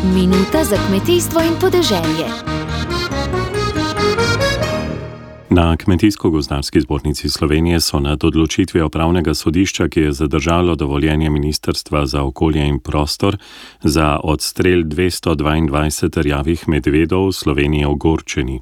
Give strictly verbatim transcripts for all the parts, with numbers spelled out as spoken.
Minuta za kmetijstvo in podeželje. Na Kmetijsko-gozdarski zbornici Slovenije so nad odločitvijo upravnega sodišča, ki je zadržalo dovoljenje Ministrstva za okolje in prostor za odstrel dvesto dvaindvajset rjavih medvedov v Sloveniji ogorčeni.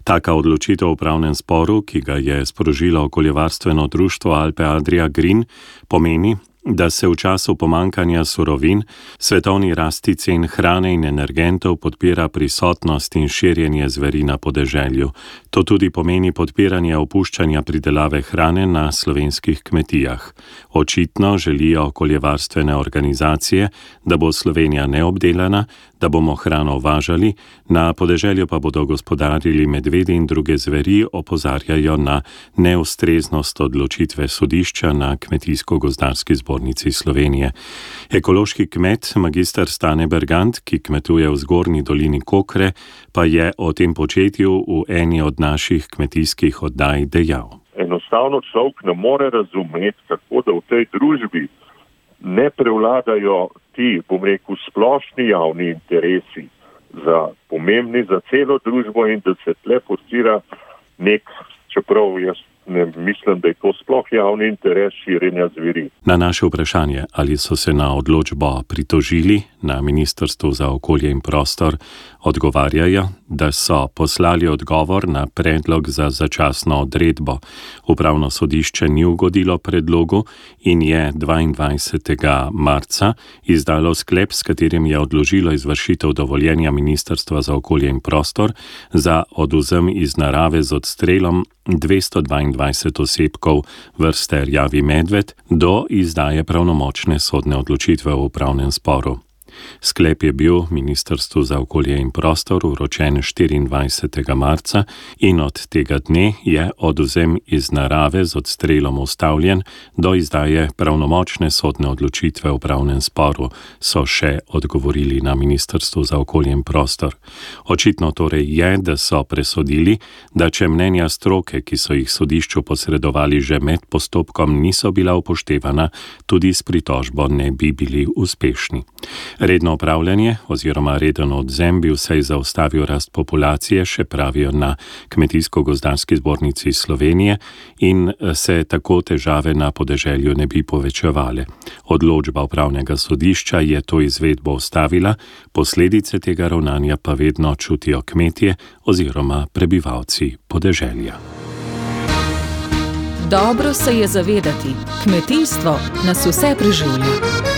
Taka odločitev v upravnem sporu, ki ga je sprožilo okoljevarstveno društvo Alpe Adria Green, pomeni, da se v času pomankanja surovin, svetovni rasti cen hrane in energentov podpira prisotnost in širjenje zveri na podeželju. To tudi pomeni podpiranje opuščanja pridelave hrane na slovenskih kmetijah. Očitno želijo okoljevarstvene organizacije, da bo Slovenija neobdelana, da bomo hrano uvažali, na podeželju pa bodo gospodarili medvedi in druge zveri, opozarjajo na neustreznost odločitve sodišča na Kmetijsko-gozdarski zbornici Slovenije. Ekološki kmet magister Stane Bergant, ki kmetuje v zgornji dolini Kokre, pa je o tem početju v eni od naših kmetijskih oddaj dejal. Enostavno človek ne more razumeti, kako da v tej družbi ne prevladajo ti, bom rekel, splošni javni interesi za pomembni za celo družbo in da se tle postira nek, čeprav jaz ne mislim, da je to sploh javni interes širjenja zveri. Na naše vprašanje, ali so se na odločbo pritožili na Ministrstvu za okolje in prostor, odgovarjajo, da so poslali odgovor na predlog za začasno odredbo. Upravno sodišče ni ugodilo predlogu in je dvaindvajsetega marca izdalo sklep, s katerim je odložilo izvršitev dovoljenja Ministrstva za okolje in prostor za odvzem iz narave z odstrelom dvesto dvaindvajset osebkov vrste rjavi medved do izdaje pravnomočne sodne odločitve v upravnem sporu. Sklep je bil Ministrstvu za okolje in prostor vročen štiriindvajsetega marca in od tega dne je odvzem iz narave z odstrelom ustavljen do izdaje pravnomočne sodne odločitve v upravnem sporu, so še odgovorili na Ministrstvu za okolje in prostor. Očitno torej je, da so presodili, da če mnenja stroke, ki so jih sodišču posredovali že med postopkom, niso bila upoštevana, tudi s pritožbo ne bi bili uspešni. Redno upravljanje oziroma reden odvzem bi vsaj zaustavil rast populacije, še pravijo na Kmetijsko-gozdarski zbornici Slovenije, in se tako težave na podeželju ne bi povečevale. Odločba upravnega sodišča je to izvedbo ustavila, posledice tega ravnanja pa vedno čutijo kmetje oziroma prebivalci podeželja. Dobro se je zavedati, kmetijstvo nas vse preživlja.